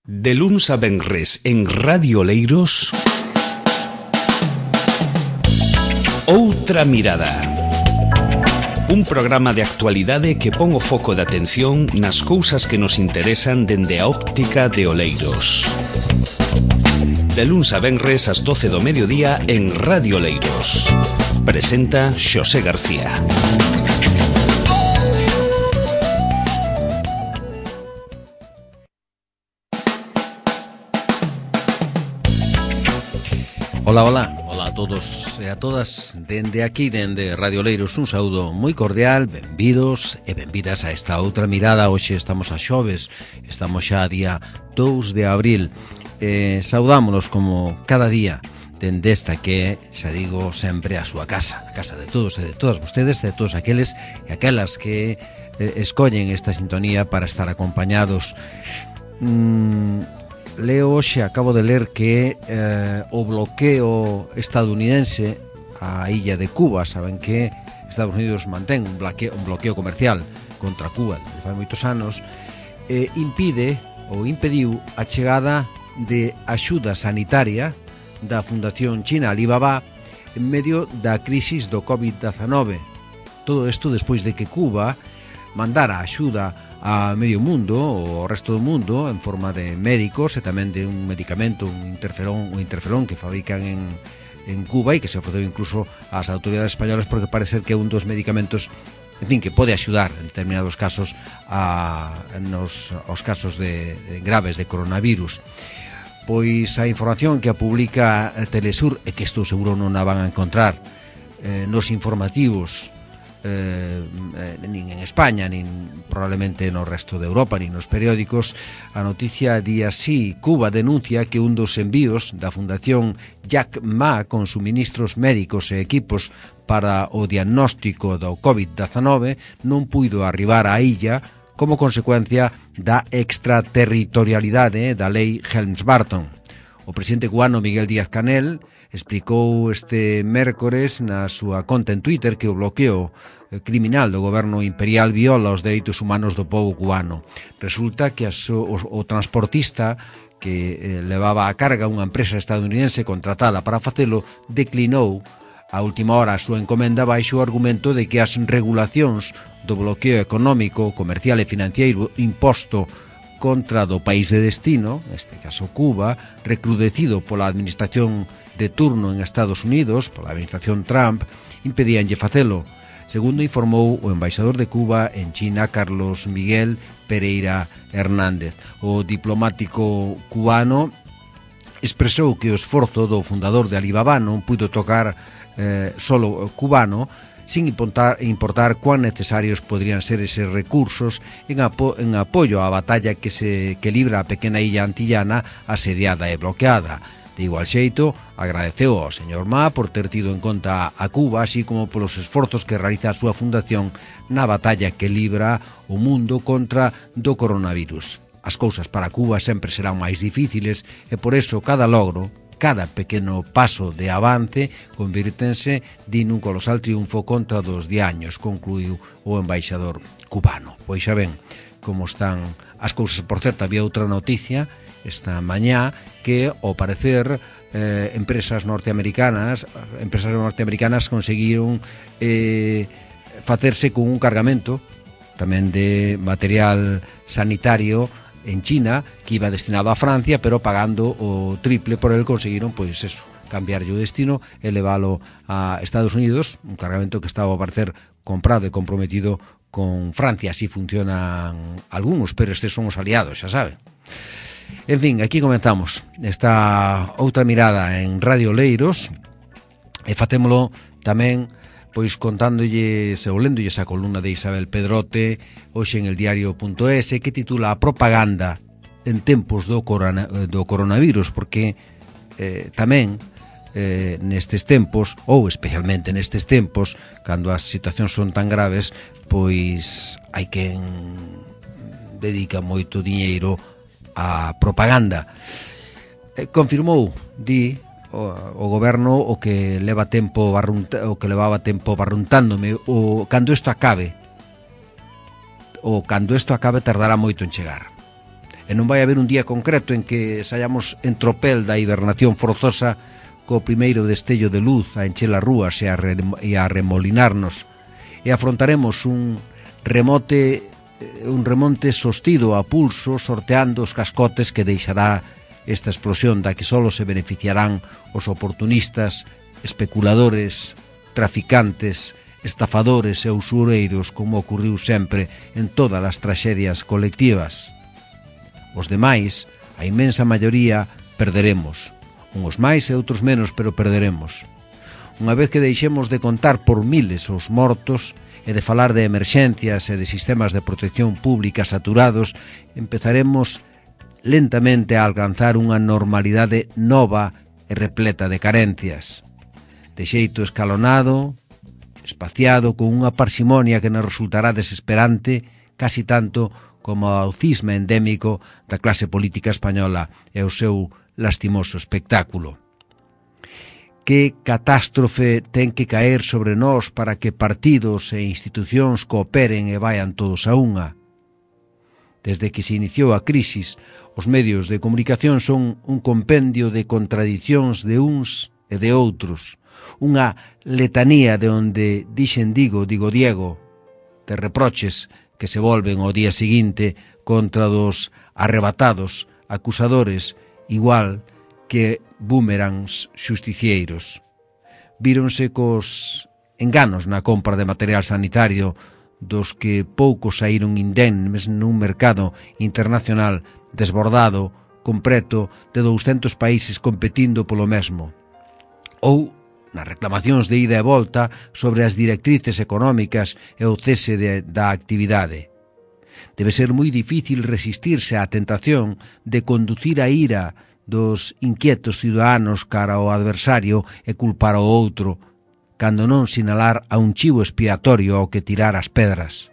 De luns a venres en Radio Oleiros, Outra Mirada. Un programa de actualidade que pon o foco de atención nas cousas que nos interesan dende a óptica de Oleiros. De luns a venres ás 12 do mediodía en Radio Oleiros. Presenta Xosé García. Ola, ola, ola a todos e a todas. Dende aquí, dende Radio Oleiros, un saúdo moi cordial. Benvidos e benvidas a esta outra mirada. Hoxe estamos a xoves, estamos xa a día 2 de abril. Saudámonos como cada día dende esta que, xa digo, sempre a súa casa, a casa de todos e de todas vostedes, de todos aqueles e aquelas que escollen esta sintonía para estar acompañados. Leo hoxe, acabo de ler que o bloqueo estadounidense á illa de Cuba, saben que Estados Unidos mantén un bloqueo comercial contra Cuba desde fai moitos anos, impediu a chegada de axuda sanitaria da Fundación China Alibaba en medio da crisis do COVID-19. Todo isto despois de que Cuba mandara axuda a medio mundo, o resto do mundo, en forma de médicos e tamén de un medicamento, un interferón que fabrican en Cuba e que se ofreceu incluso ás autoridades españolas porque parece ser que é un dos medicamentos, en fin, que pode axudar en determinados casos aos casos de graves de coronavirus. Pois a información que a publica Telesur, e que isto seguro non a van a encontrar nos informativos nin en España, nin probablemente no resto de Europa, nin nos periódicos. A noticia di así: Cuba denuncia que un dos envíos da Fundación Jack Ma con suministros médicos e equipos para o diagnóstico do COVID-19 non puido arribar á illa como consecuencia da extraterritorialidade da lei Helms-Burton. O presidente cubano Miguel Díaz-Canel explicou este mércores na súa conta en Twitter que o bloqueo criminal do goberno imperial viola os dereitos humanos do povo cubano. Resulta que o transportista que levaba a carga unha empresa estadounidense contratada para facelo declinou a última hora a súa encomenda baixo o argumento de que as regulacións do bloqueo económico, comercial e financiero imposto contra do país de destino, neste caso Cuba, recrudecido pola administración de turno en Estados Unidos, pola administración Trump, impedíanlle facelo, segundo informou o embaixador de Cuba en China, Carlos Miguel Pereira Hernández. O diplomático cubano expresou que o esforzo do fundador de Alibaba non puido tocar solo cubano, sin importar cuán necesarios podrían ser eses recursos en apoio á batalla que libra a pequena illa antillana asediada e bloqueada. De igual xeito, agradeceu ao señor Ma por ter tido en conta a Cuba, así como polos esforzos que realiza a súa fundación na batalla que libra o mundo contra do coronavirus. As cousas para Cuba sempre serán máis difíciles e por eso cada logro, cada pequeno paso de avance convírtense nun colosal triunfo contra dos diaños, concluiu o embaixador cubano. Pois xa ven como están as cousas. Por certo, había outra noticia esta mañá que, ao parecer, empresas norteamericanas conseguiron facerse con un cargamento tamén de material sanitario en China, que iba destinado a Francia, pero pagando o triple por el conseguiron, pois eso, cambiar o destino e leválo a Estados Unidos, un cargamento que estaba a parecer comprado e comprometido con Francia. Así funcionan algúns, pero estes son os aliados, xa saben. En fin, aquí comenzamos esta outra mirada en Radio Oleiros e facémolo tamén pois contándolles ou léndolles a columna de Isabel Pedrote hoxe en el diario.es que titula A propaganda en tempos do coronavirus, porque tamén nestes tempos, ou especialmente nestes tempos, cando as situacións son tan graves, pois hai quen dedica moito diñeiro á propaganda. Confirmou, o goberno o que levaba tempo barruntándome cando isto acabe tardará moito en chegar. E non vai haber un día concreto en que saiamos en tropel da hibernación forzosa co primeiro destello de luz a encher as rúas e a remolinarnos, e afrontaremos un remonte sostido a pulso, sorteando os cascotes que deixará esta explosión da que só se beneficiarán os oportunistas, especuladores, traficantes, estafadores e usureiros, como ocurriu sempre en todas as traxedias colectivas. Os demais, a inmensa maioría, perderemos. Uns máis e outros menos, pero perderemos. Unha vez que deixemos de contar por miles os mortos e de falar de emerxencias e de sistemas de protección pública saturados, empezaremos lentamente a alcanzar unha normalidade nova e repleta de carencias. De xeito escalonado, espaciado, con unha parsimonia que nos resultará desesperante, casi tanto como ao cisma endémico da clase política española e o seu lastimoso espectáculo. Que catástrofe ten que caer sobre nós para que partidos e institucións cooperen e vayan todos a unha? Desde que se iniciou a crisis, os medios de comunicación son un compendio de contradicións de uns e de outros, unha letanía de onde dixen digo Diego, de reproches que se volven ao día seguinte contra dos arrebatados acusadores, igual que búmerangs xusticieiros. Víronse cos enganos na compra de material sanitario, dos que poucos saíron indemnes nun mercado internacional desbordado, completo, de 200 países competindo polo mesmo. Ou nas reclamacións de ida e volta sobre as directrices económicas e o cese da actividade. Debe ser moi difícil resistirse á tentación de conducir a ira dos inquietos ciudadanos cara ao adversario e culpar ao outro, cando non sinalar a un chivo expiatorio ao que tirar as pedras.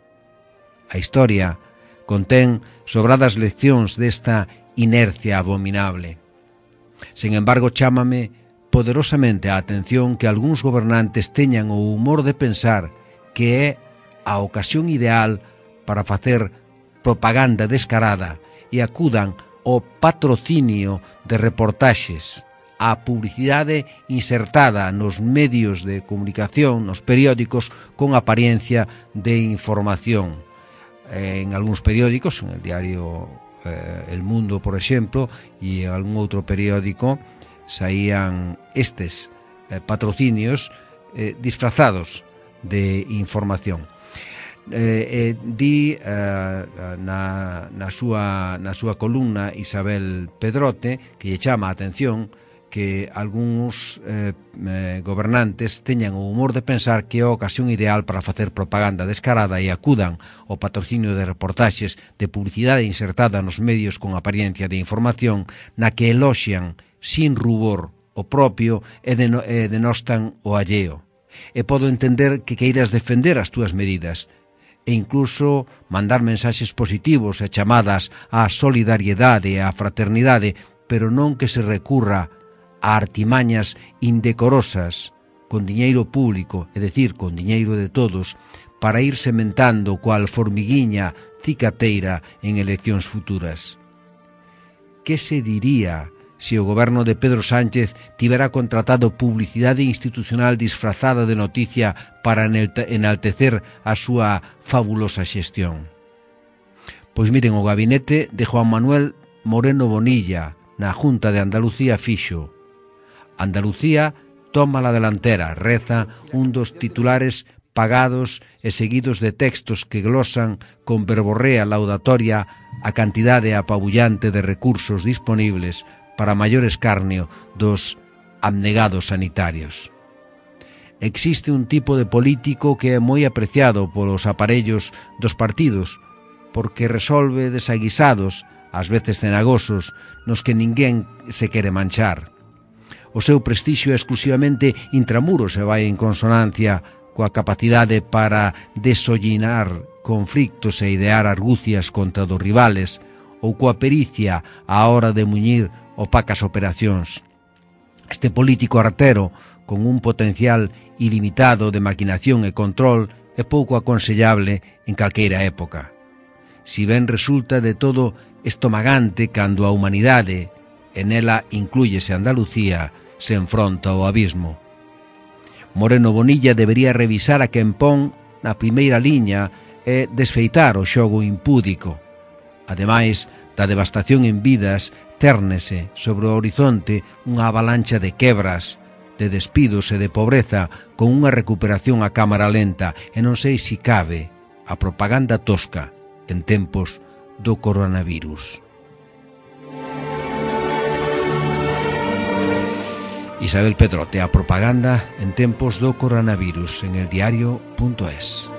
A historia contén sobradas leccións desta inercia abominable. Sen embargo, chámame poderosamente a atención que algúns gobernantes teñan o humor de pensar que é a ocasión ideal para facer propaganda descarada e acudan ao patrocinio de reportaxes, á publicidade insertada nos medios de comunicación, nos periódicos, con apariencia de información. En algúns periódicos, en el diario El Mundo, por exemplo, e en algún outro periódico, saían estes patrocinios disfrazados de información. Di na súa columna Isabel Pedrote que lle chama a atención que algúns gobernantes teñan o humor de pensar que é a ocasión ideal para facer propaganda descarada e acudan ao patrocinio de reportaxes de publicidade insertada nos medios con apariencia de información na que eloxian sin rubor o propio e denostan o alleo. E podo entender que queiras defender as túas medidas e incluso mandar mensaxes positivos e chamadas á solidariedade e á fraternidade, pero non que se recurra a artimañas indecorosas con diñeiro público, é dicir, con diñeiro de todos, para ir sementando cual formiguiña cicateira en eleccións futuras. Que se diría se o goberno de Pedro Sánchez tivera contratado publicidade institucional disfrazada de noticia para enaltecer a súa fabulosa xestión? Pois miren, o gabinete de Juan Manuel Moreno Bonilla na Junta de Andalucía fixo: Andalucía toma la delantera, reza un dos titulares pagados e seguidos de textos que glosan con verborrea laudatoria a cantidade apabullante de recursos disponibles para maior escarnio dos abnegados sanitarios. Existe un tipo de político que é moi apreciado polos aparellos dos partidos, porque resolve desaguisados, ás veces cenagosos, nos que ninguén se quere manchar. O seu prestixio é exclusivamente intramuros e vai en consonancia coa capacidade para desollinar conflictos e idear argucias contra dos rivales, ou coa pericia á hora de muñir opacas operacións. Este político artero, con un potencial ilimitado de maquinación e control, é pouco aconsellable en calqueira época. Si ben resulta de todo estomagante cando a humanidade, e nela inclúyese Andalucía, se enfronta ao abismo. Moreno Bonilla debería revisar a quen pon na primeira liña e desfeitar o xogo impúdico. Ademais da devastación en vidas, térnese sobre o horizonte unha avalancha de quebras, de despidos e de pobreza, con unha recuperación a cámara lenta, e non sei si cabe a propaganda tosca en tempos do coronavirus. Isabel Pedrote, a propaganda en tempos do coronavirus, en eldiario.es.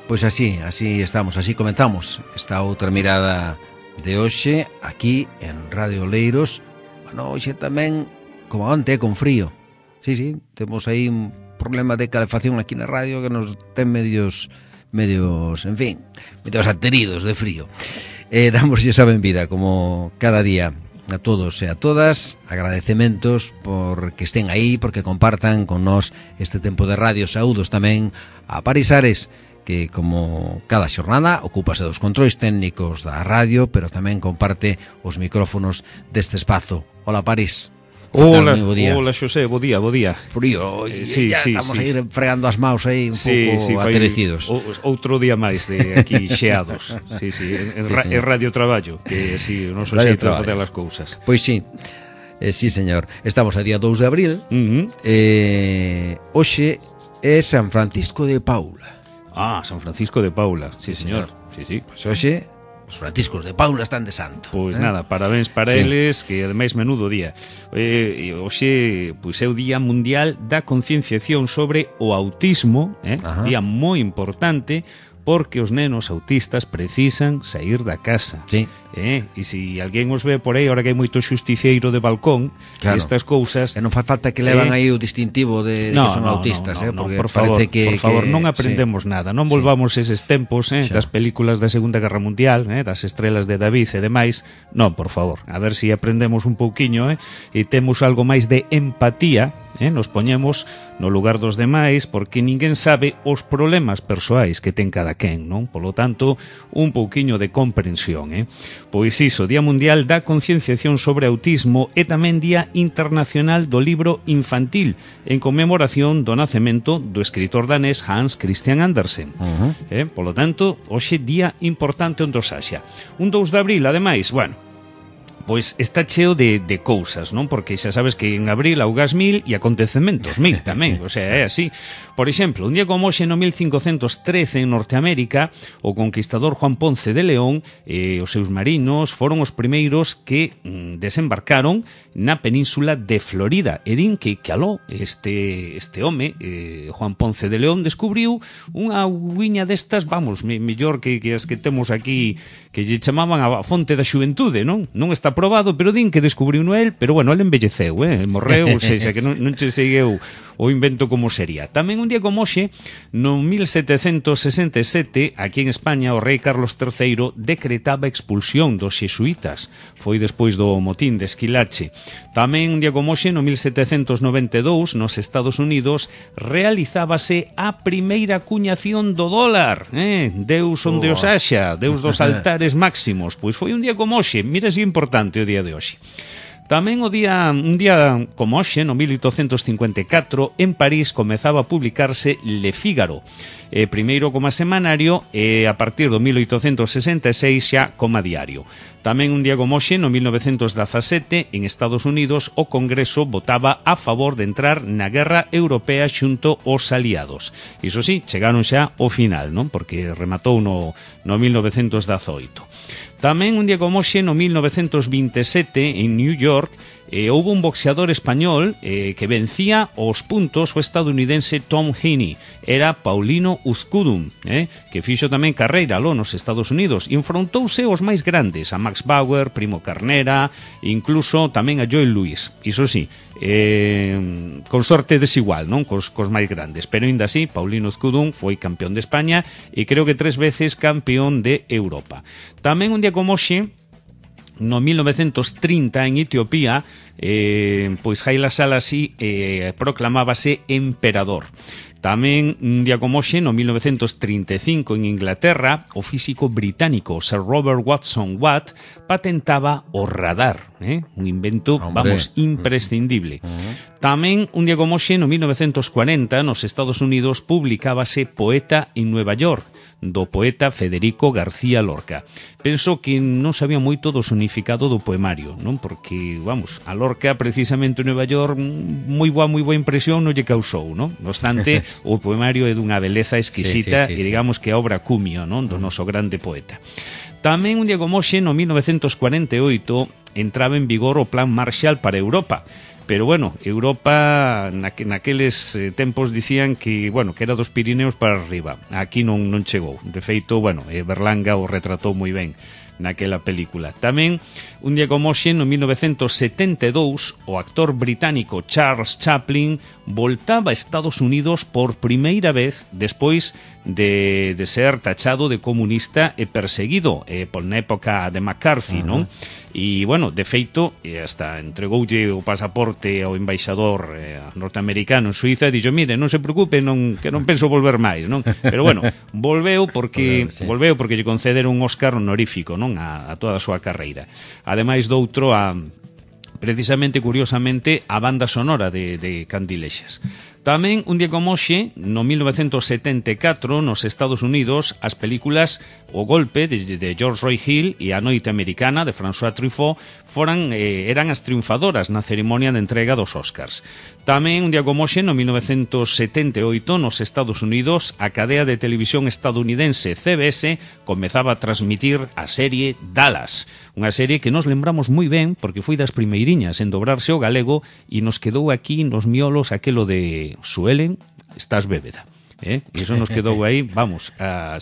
Pois así estamos, así comenzamos esta outra mirada de hoxe aquí en Radio Oleiros. Bueno, hoxe tamén, como onte, con frío. Sí, temos aí un problema de calefacción aquí na radio que nos ten medios, en fin, medios ateridos de frío. Damos esa benvida, como cada día, a todos e a todas. Agradecementos por que estén aí, porque compartan con nós este tempo de radio. Saúdos tamén a Paris Ares, que como cada xornada ocúpase dos controis técnicos da radio, pero tamén comparte os micrófonos deste espazo. Hola, Paris. Hola, Xosé, bo día. Frío, estamos aí fregando as maus aí un pouco aterecidos. Outro día máis de aquí xeados. En radio traballo, que si non so xeito de facer as cousas. Pois sí. Sí, señor. Estamos a día 2 de abril. Hoxe é San Francisco de Paula. San Francisco de Paula, sí, señor. Sí. Pois hoxe os Franciscos de Paula están de santo. Pois nada, parabéns para eles, que ademais menudo día. Hoxe pois é o Día Mundial da Concienciación sobre o Autismo, día moi importante, porque os nenos autistas precisan sair da casa. Sí. E se alguén os ve por aí, ahora que hai moito xusticiero de balcón, claro, estas cousas... E non fai falta que levan aí o distintivo de que son autistas, porque por favor, parece por favor, non aprendemos nada, non volvamos eses tempos das películas da Segunda Guerra Mundial, das estrelas de David e demais. Non, por favor, a ver se aprendemos un pouquiño e temos algo máis de empatía, nos poñemos no lugar dos demais, porque ninguén sabe os problemas persoais que ten cada quen, non? Polo tanto, un pouquiño de comprensión, Pois iso, Día Mundial da Concienciación sobre Autismo e tamén Día Internacional do Libro Infantil, en conmemoración do nacemento do escritor danés Hans Christian Andersen. Polo tanto, hoxe día importante onde os haxa. Un 2 de abril, ademais, pois está cheo de cousas, non? Porque xa sabes que en abril augas 1000 e acontecementos 1000 tamén, o sea, é así. Por exemplo, un día como hoxe no 1513 en Norteamérica, o conquistador Juan Ponce de León e os seus marinos foron os primeiros que desembarcaron na península de Florida. E din que aló, este home, Juan Ponce de León, descubriu unha auguiña destas, vamos, mellor que as que temos aquí, que lle chamaban a fonte da xuventude, non? Non está probado, pero din que descubriu no el, pero bueno, el envelleceu, morreu, ou seja, que non che segueu o invento como sería. Tamén un día como hoxe, no 1767, aquí en España, o rei Carlos III decretaba a expulsión dos xesuítas. Foi despois do motín de Esquilache. Tamén un día como hoxe, no 1792, nos Estados Unidos, realizábase a primeira acuñación do dólar. Deus onde os haxa, Deus dos altares máximos. Pois foi un día como hoxe, mira se importante o día de hoxe. Tamén un día como hoxe, no 1854, en París comezaba a publicarse Le Figaro, primeiro como semanario e a partir do 1866 xa como diario. Tamén un día como hoxe, no 1917, en Estados Unidos, o Congreso votaba a favor de entrar na guerra europea xunto aos aliados. Iso sí, chegaron xa ao final, non? Porque rematou no 1918. Tamén un día como hoxe, no 1927, en New York, houve un boxeador español que vencía aos puntos o estadounidense Tom Heaney. Era Paulino Uzcudun, que fixo tamén carreira aló nos Estados Unidos. E enfrontouse aos máis grandes, a Max Bauer, Primo Carnera, incluso tamén a Joel Lewis. Iso sí, con sorte desigual, non? Cos máis grandes, pero ainda así Paulino Uzcudun foi campeón de España e creo que 3 veces campeón de Europa. Tamén un día como hoxe, no 1930 en Etiopía, pois Haile Selassie proclamábase emperador. Tamén un día como hoxe, no 1935 en Inglaterra, o físico británico Sir Robert Watson Watt patentaba o radar, un invento, vamos, imprescindible. Tamén un día como hoxe, no 1940, nos Estados Unidos publicábase Poeta en Nueva York, do poeta Federico García Lorca. Penso que non sabía moito do significado do poemario, non? Porque, vamos, a Lorca precisamente en Nueva York moi boa impresión non lle causou, non? No obstante, o poemario é dunha beleza exquisita e digamos que a obra cumio, non? Do noso grande poeta. Tamén un día como hoxe, no 1948, entraba en vigor o Plan Marshall para Europa. Pero, bueno, Europa naqueles tempos dicían que, bueno, que era dos Pirineos para arriba. Aquí non chegou. De feito, bueno, Berlanga o retratou moi ben naquela película. Tamén, un día como hoxe, no 1972, o actor británico Charles Chaplin voltaba a Estados Unidos por primeira vez despois de ser tachado de comunista e perseguido na época de McCarthy, non? E, bueno, de feito, hasta entregoulle o pasaporte ao embaixador norteamericano en Suiza e dixo, mire, non se preocupe, que non penso volver máis, non? Pero, bueno, volveu porque lle concederon un Óscar honorífico, non? A toda a súa carreira. Ademais doutro precisamente, curiosamente, a banda sonora de Candilexas. Tamén, un día como hoxe, no 1974, nos Estados Unidos, as películas O Golpe, de George Roy Hill, e A Noite Americana, de François Truffaut, eran as triunfadoras na ceremonia de entrega dos Óscars. Tamén, un día como hoxe, no 1978, nos Estados Unidos, a cadea de televisión estadounidense CBS comezaba a transmitir a serie Dallas, unha serie que nos lembramos moi ben porque foi das primeiriñas en dobrarse ao galego e nos quedou aquí nos miolos aquelo de Suelen, estás bébeda. E iso nos quedou aí, vamos, aí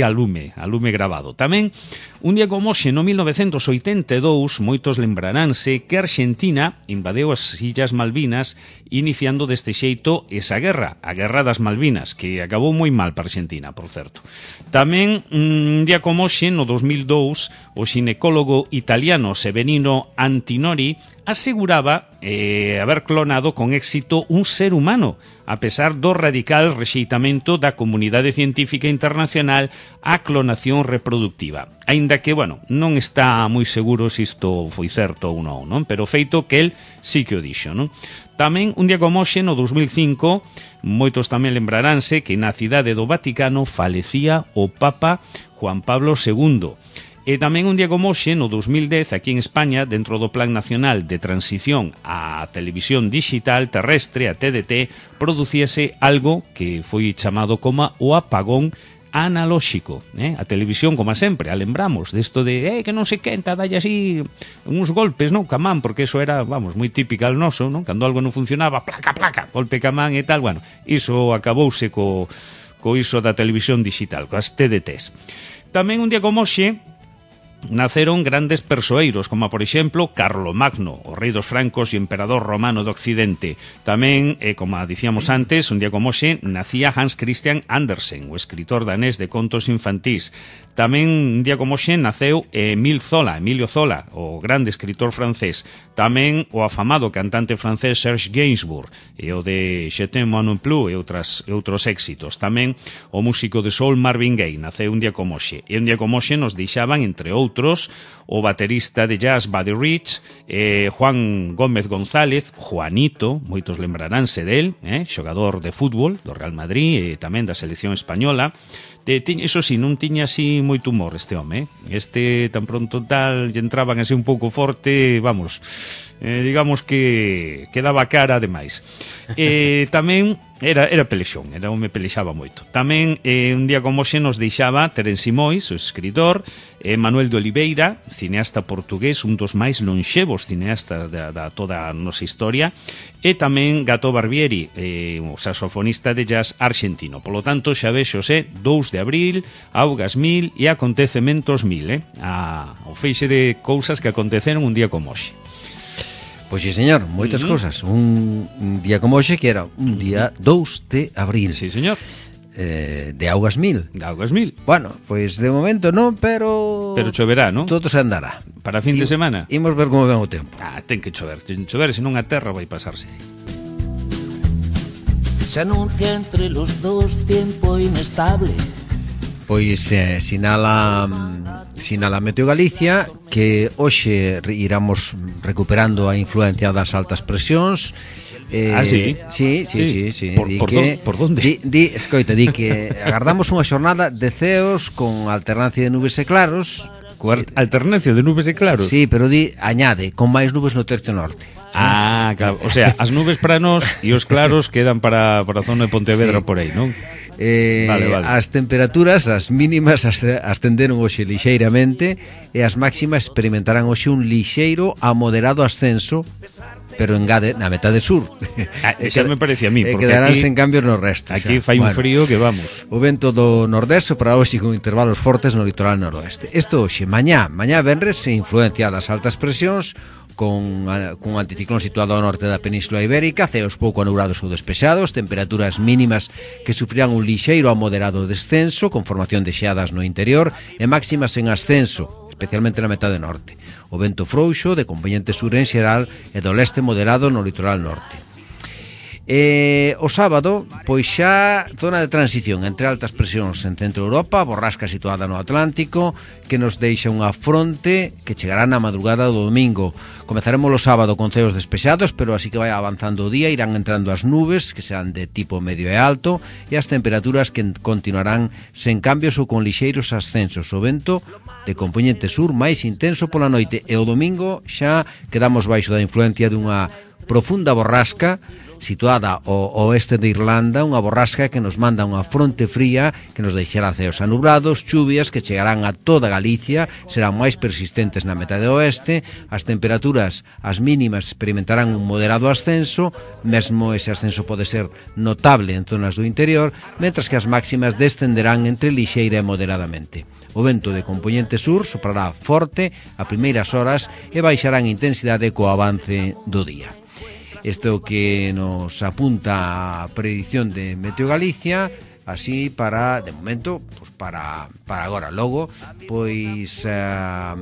a lume grabado. Tamén, un día como hoxe, no 1982, moitos lembraránse que Argentina invadeu as Illas Malvinas iniciando deste xeito esa guerra, a Guerra das Malvinas, que acabou moi mal para Argentina, por certo. Tamén, un día como hoxe, no 2002, o xinecólogo italiano Severino Antinori aseguraba haber clonado con éxito un ser humano, a pesar do radical rexeitamento da comunidade científica internacional á clonación reproductiva. Aínda que, bueno, non está moi seguro se isto foi certo ou non? Pero feito que el sí que o dixo, non? Tamén, un día como hoxe, no 2005, moitos tamén lembraránse que na cidade do Vaticano falecía o Papa Juan Pablo II. E tamén un día como hoxe, no 2010, aquí en España, dentro do Plan Nacional de Transición á Televisión Digital Terrestre, a TDT, producíase algo que foi chamado como o apagón analóxico. A televisión, como sempre, a lembramos desto de que non se quenta, dalle así uns golpes, non, ca man, porque eso era, vamos, moi típica al noso, non? Cando algo non funcionaba, placa, golpe ca man e tal, bueno, iso acabouse co iso da televisión digital, coas TDTs. Tamén un día como hoxe, naceron grandes persoeiros, como por exemplo Carlomagno, o rei dos francos e emperador romano do Occidente. Tamén, como dicíamos antes, un día como hoxe, nacía Hans Christian Andersen, o escritor danés de contos infantís. Tamén, un día como hoxe, naceu Emilio Zola, o grande escritor francés. Tamén o afamado cantante francés Serge Gainsbourg, e o de Je t'aime moi non plus e outros éxitos. Tamén o músico de soul Marvin Gaye, naceu un día como hoxe. E un día como hoxe nos deixaban, entre outros, o baterista de jazz Buddy Rich, Juan Gómez González, Juanito, moitos lembraránse del, xogador de fútbol do Real Madrid e tamén da selección española. Eso sí, non tiña así moito humor este home, Este tan pronto tal lle entraban así un pouco forte, vamos, digamos que daba cara ademais. Tamén era pelexón, era home pelexaba moito. Tamén un día como hoxe nos deixaba Terence Mois, o escritor, Manuel de Oliveira, cineasta portugués, un dos máis lonxevos cineastas da toda a nosa historia, e tamén Gato Barbieri, o saxofonista de jazz argentino. Polo tanto, xa vexose, 2 de abril, augas 1000 e acontecementos 1000, o feixe de cousas que aconteceron un día como hoxe. Pois sí, señor, moitas cousas. Un día como hoxe, que era un día 2 de abril. Sí, señor. De augas 1000. De augas 1000. Bueno, pois de momento non, pero choverá, non? Todo se andará. Para fin de semana. Imos ver como ven o tempo. Ten que chover, senón a terra vai pasarse. Se anuncia entre los dos tiempo inestable. Pois sinala Meteo Galicia que hoxe iramos recuperando a influencia das altas presións. Sí? Sí. Por donde? Escoita, di que agardamos unha xornada de ceos con alternancia de nubes e claros. Alternancia de nubes e claros? Sí, pero añade, con máis nubes no tercio norte. Ah, claro, o sea, as nubes para nós e os claros quedan para a zona de Pontevedra, sí. Por aí, non? Vale. As temperaturas, as mínimas ascenderon hoxe lixeiramente e as máximas experimentarán hoxe un lixeiro a moderado ascenso, pero engade na metade sur. Xa me parece a mí, porque quedarán sen cambios no resto. Aquí fai un frío que vamos. O vento do nordeste para hoxe con intervalos fortes no litoral noroeste. Isto hoxe, mañá venres se influencia das altas presións con un anticiclón situado ao norte da Península Ibérica, ceos pouco anubrados ou despexados, temperaturas mínimas que sufrirán un lixeiro a moderado descenso con formación de xeadas no interior e máximas en ascenso, especialmente na metade norte. O vento frouxo de componente sur en xeral e do leste moderado no litoral norte. O sábado, pois xa zona de transición entre altas presións en centro Europa, borrasca situada no Atlántico, que nos deixa unha fronte que chegará na madrugada do domingo. Comezaremos o sábado con ceos despexados, pero así que vai avanzando o día, irán entrando as nubes, que serán de tipo medio e alto, e as temperaturas que continuarán sen cambios ou con lixeiros ascensos. O vento de componente sur máis intenso pola noite, e o domingo xa quedamos baixo da influencia dunha profunda borrasca situada ao oeste de Irlanda, unha borrasca que nos manda unha fronte fría que nos deixará ceos anubrados, chuvias que chegarán a toda Galicia, serán máis persistentes na metade oeste, as temperaturas, as mínimas experimentarán un moderado ascenso, mesmo ese ascenso pode ser notable en zonas do interior, mentras que as máximas descenderán entre lixeira e moderadamente. O vento de componente sur soprará forte a primeiras horas e baixará en intensidade co avance do día. Isto é o que nos apunta a predicción de Meteo Galicia, así para, de momento, pues para agora. Logo, pois a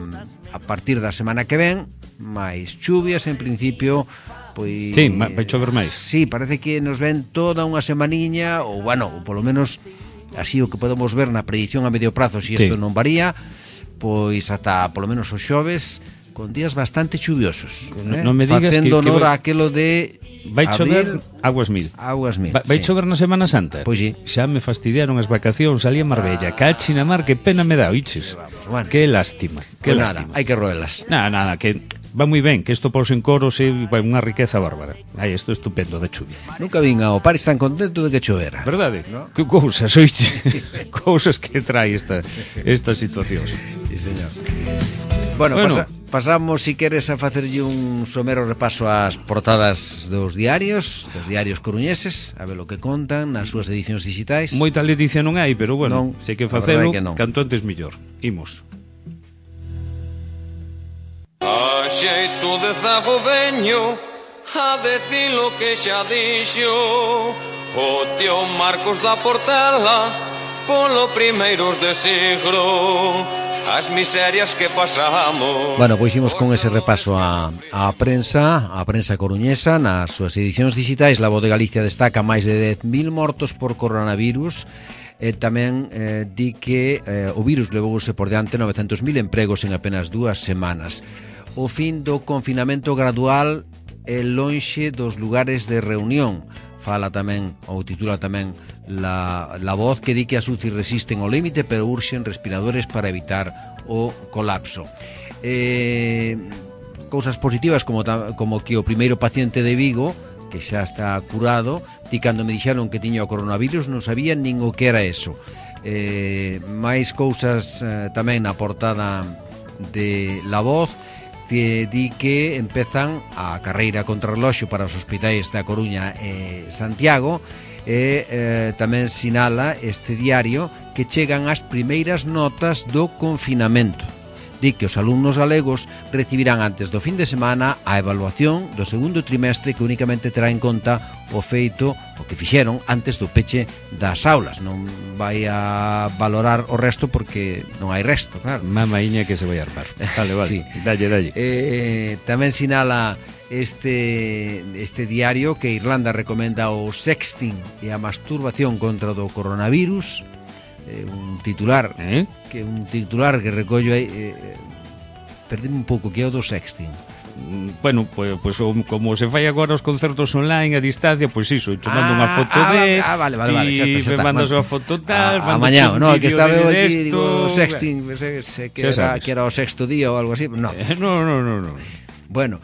partir da semana que ven, máis chuvias, en principio, pois... Sí, vai chover máis. Sí, parece que nos ven toda unha semaniña, ou, bueno, ou polo menos, así o que podemos ver na predicción a medio prazo, se isto non varía, pois ata, polo menos, os xoves, con días bastante chuviosos, non me digas facendo que honor a aquilo de vai chover aguas mil. Vai chover na Semana Santa. Pois sí. Xa me fastidiaron as vacacións, salí a Marbella, cachi na mar, que pena me dá, oiches. Bueno. Que lástima, que pues lástima. Nada, hai que roelas. Nada, que va moi ben, que isto pos en coros é unha riqueza bárbara. Ai, isto é estupendo da chuvia. Nunca vin ao Paris tan contento de que chovera. Verdade? ¿No? Que cousas, oiches. Cousas que trae esta situación. Sí, señor. Bueno. Pasamos, si queres, a facerlle un somero repaso ás portadas dos diarios coruñeses, a ver o que contan nas súas edicións digitais. Moita ledicia non hai, pero bueno, se que facelo, canto antes mellor. Imos. A xeito de zago veño a decir lo que xa dixo o tío Marcos da Portela polo primeiros de siglo. As miserias que pasamos. Bueno, pois imos con ese repaso a prensa coruñesa nas súas edicións digitais. La Voz de Galicia destaca máis de 10.000 mortos por coronavirus e tamén di que o virus levouse por diante 900.000 empregos en apenas 2 semanas. O fin do confinamento gradual é lonxe dos lugares de reunión. Fala tamén, ou titula tamén la Voz, que di que as UCI resisten ao límite pero urxen respiradores para evitar o colapso. Cousas positivas como que o primeiro paciente de Vigo, que xa está curado, ti cando me dixeron que tiña o coronavirus non sabían nin o que era eso. máis cousas tamén na portada de La Voz, que di que empezan a carreira contra reloxo para os hospitais da Coruña e Santiago, e tamén sinala este diario que chegan as primeiras notas do confinamento. Di que os alumnos galegos recibirán antes do fin de semana a evaluación do segundo trimestre, que únicamente terá en conta o feito, o que fixeron antes do peche das aulas. Non vai a valorar o resto porque non hai resto, claro. Mamaiña que se vai armar. Vale, vale, Sí. dalle. Tamén sinala este diario que Irlanda recomenda o sexting e a masturbación contra do coronavirus. Un titular que recollo aí, perdime un pouco, que é o do sexting. Bueno, pues como se fai agora os concertos online a distancia, pois iso, te mando unha foto vale, xa está. me mandas unha foto tal, amañado, no, que estaba eu aquí, digo, sexting, que era o sexto día ou algo así, no. No. Bueno,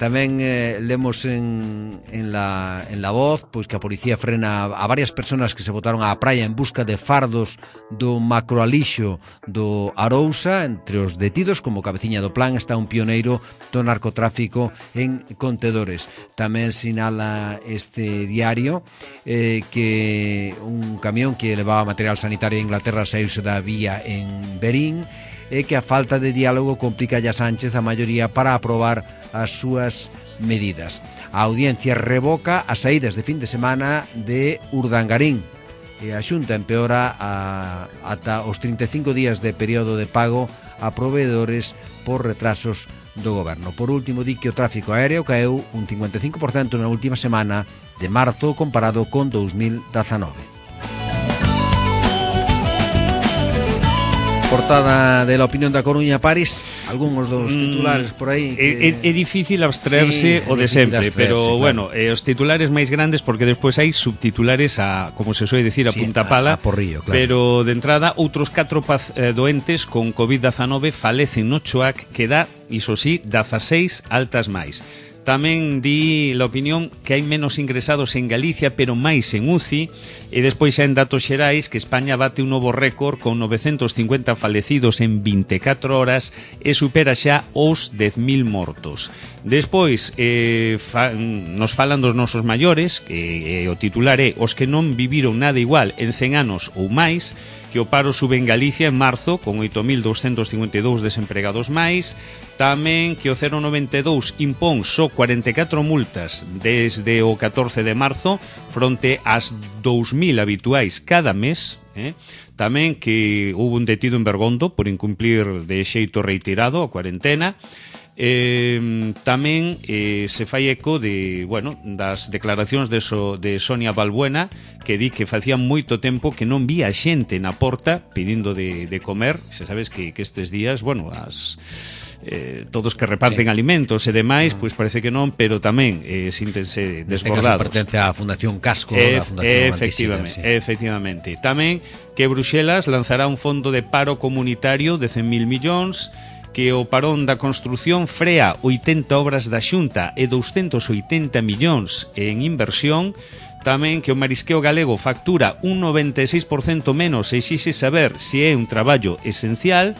tamén lemos en la Voz pois que a policía frena a varias personas que se botaron á praia en busca de fardos do macroalixo do Arousa. Entre os detidos, como cabeciña do plan, está un pioneiro do narcotráfico en contedores. Tamén sinala este diario que un camión que levaba material sanitario a Inglaterra saíuse da vía en Berín, e que a falta de diálogo complica a Sánchez a maioría para aprobar as súas medidas. A audiencia revoca as saídas de fin de semana de Urdangarín e a Xunta empeora ata os 35 días de período de pago a proveedores por retrasos do goberno. Por último, di que o tráfico aéreo caeu un 55% na última semana de marzo comparado con 2019. Portada de La Opinión da Coruña, París, algúns dos titulares por aí que... É difícil abstraerse o de sempre, pero bueno, os titulares máis grandes, porque despois hai subtitulares a, como se soe dicir, a punta pala, a porrillo, claro. Pero de entrada outros 4 doentes con COVID-19 falecen no Choac, que dá, iso sí, 16 altas máis. Tamén di La Opinión que hai menos ingresados en Galicia, pero máis en UCI, e despois xa en datos xerais que España bate un novo récord con 950 falecidos en 24 horas e supera xa os 10.000 mortos. Despois nos falan dos nosos maiores, que o titular é os que non viviron nada igual en 100 anos ou máis, que o paro sube en Galicia en marzo con 8.252 desempregados máis. Tamén que o 092 impón só 44 multas desde o 14 de marzo fronte ás 2.000 habituais cada mes. Tamén que houve un detido en Bergondo por incumplir de xeito reiterado a cuarentena. Tamén se fai eco de, bueno, das declaracións de Sonia Balbuena, que di que facía moito tempo que non vía xente na porta pedindo de comer. Se sabes que estes días, bueno, todos que reparten alimentos e demais, pois parece que non, pero tamén síntense desbordados. Pertence á Fundación Casco, da Fundación Efectivamente. Tamén que Bruxelas lanzará un fondo de paro comunitario de 100.000 millóns, que o parón da construción frea 80 obras da Xunta e 280 millóns en inversión. Tamén que o marisqueo galego factura un 96% menos e exixe saber se é un traballo esencial.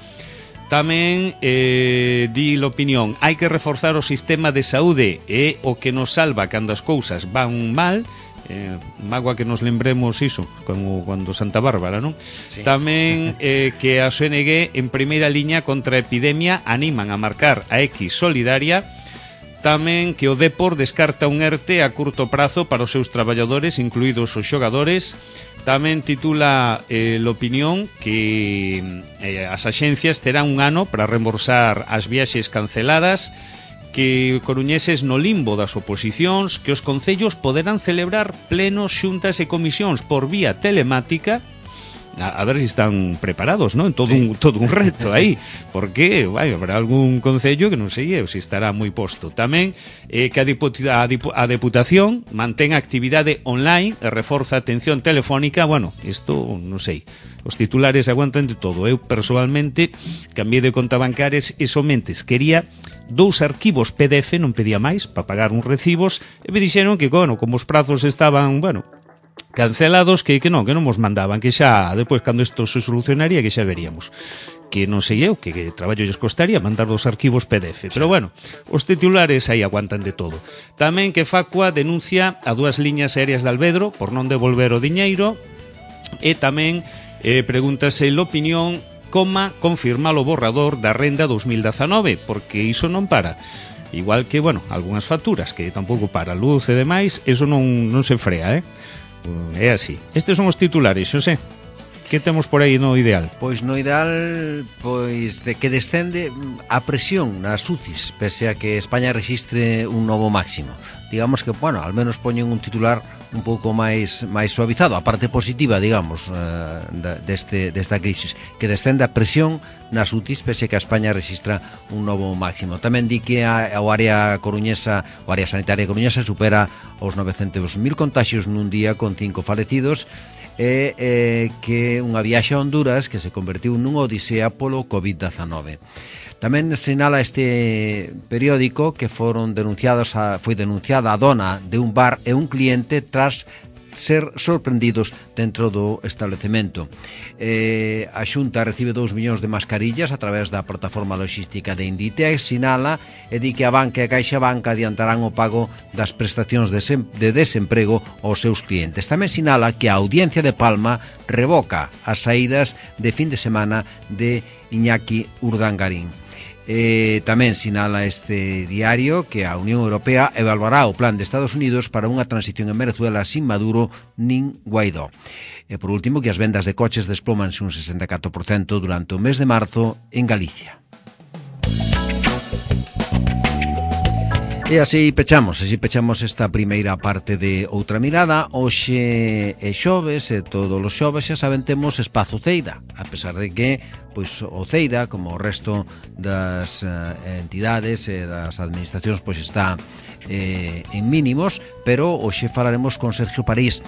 Tamén di La Opinión, hai que reforzar o sistema de saúde, é o que nos salva cando as cousas van mal. Magua que nos lembremos iso como cando Santa Bárbara, non? Sí. Tamén que a ONG en primeira liña contra a epidemia animan a marcar a X solidaria. Tamén que o Depor descarta un ERTE a curto prazo para os seus traballadores, incluídos os xogadores. Tamén titula La Opinión que as axencias terán un ano para reembolsar as viaxes canceladas, que coruñeses no limbo das oposicións, que os concellos poderán celebrar plenos, xuntas e comisións por vía telemática. A ver se están preparados, non? Todo un reto aí, porque habrá algún concello que non sei se estará moi posto. Tamén que a Deputación mantén actividade online e reforza a atención telefónica. Bueno, isto non sei, os titulares aguantan de todo. Eu, personalmente, cambiei de conta bancares e somente quería 2 arquivos PDF, non pedía máis, para pagar uns recibos, e me dixeron que, bueno, como os prazos estaban, bueno, cancelados, que non mos mandaban, que xa, depois, cando isto se solucionaría, que xa veríamos. Que non sei eu, que traballo lles costaría mandar 2 arquivos PDF. Pero, bueno, os titulares aí aguantan de todo. Tamén que Facua denuncia a 2 liñas aéreas de Alvedro por non devolver o diñeiro, e tamén pregúntase La Opinión confirma o borrador da Renda 2019, porque iso non para. igual que, bueno, algunhas facturas que tampouco para luz e demais, eso non se frea, é así. Estes son os titulares, Xosé. Que temos por aí no ideal? Pois no ideal, pois de que descende a presión nas UCIs, pese a que España rexistre un novo máximo. Digamos que, bueno, al menos poñen un titular un pouco máis suavizado, a parte positiva, digamos, desta crisis, que descende a presión nas UCIs, pese a que a España rexistra un novo máximo. Tamén di que a área sanitaria coruñesa supera os 900.000 contaxios nun día con 5 falecidos, e que unha viaxe a Honduras que se convertiu nun odisea polo COVID-19. Tamén sinala este periódico que foi denunciada a dona de un bar e un cliente tras ser sorprendidos dentro do establecemento. A Xunta recibe 2 millóns de mascarillas a través da plataforma logística de Inditex, sinala, e di que a banca e a CaixaBank adiantarán o pago das prestacións de desemprego aos seus clientes. Tamén sinala que a Audiencia de Palma revoca as saídas de fin de semana de Iñaki Urdangarín. Tamén sinala este diario que a Unión Europea evaluará o plan de Estados Unidos para unha transición en Venezuela sin Maduro nin Guaidó. E por último, que as vendas de coches desplomanse un 64% durante o mes de marzo en Galicia. E así pechamos esta primeira parte de Outra Mirada. Hoxe é xoves e todos os xoves, xa saben, temos espazo Ceida, a pesar de que pois o Ceida, como o resto das entidades e das administracións, pois está en mínimos, pero hoxe falaremos con Sergio París.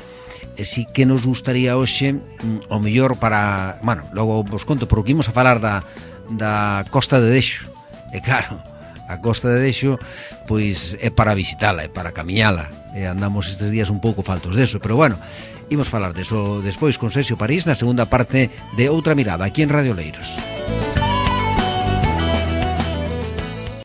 E si que nos gustaría hoxe o mellor para, bueno, logo vos conto, pero que imos a falar da Costa de Dexo. E claro, a Costa de Dexo pois é para visitala, é para camiñala, e andamos estes días un pouco faltos deso, pero bueno, imos falar deso despois con Sergio París na segunda parte de Outra Mirada, aquí en Radio Oleiros.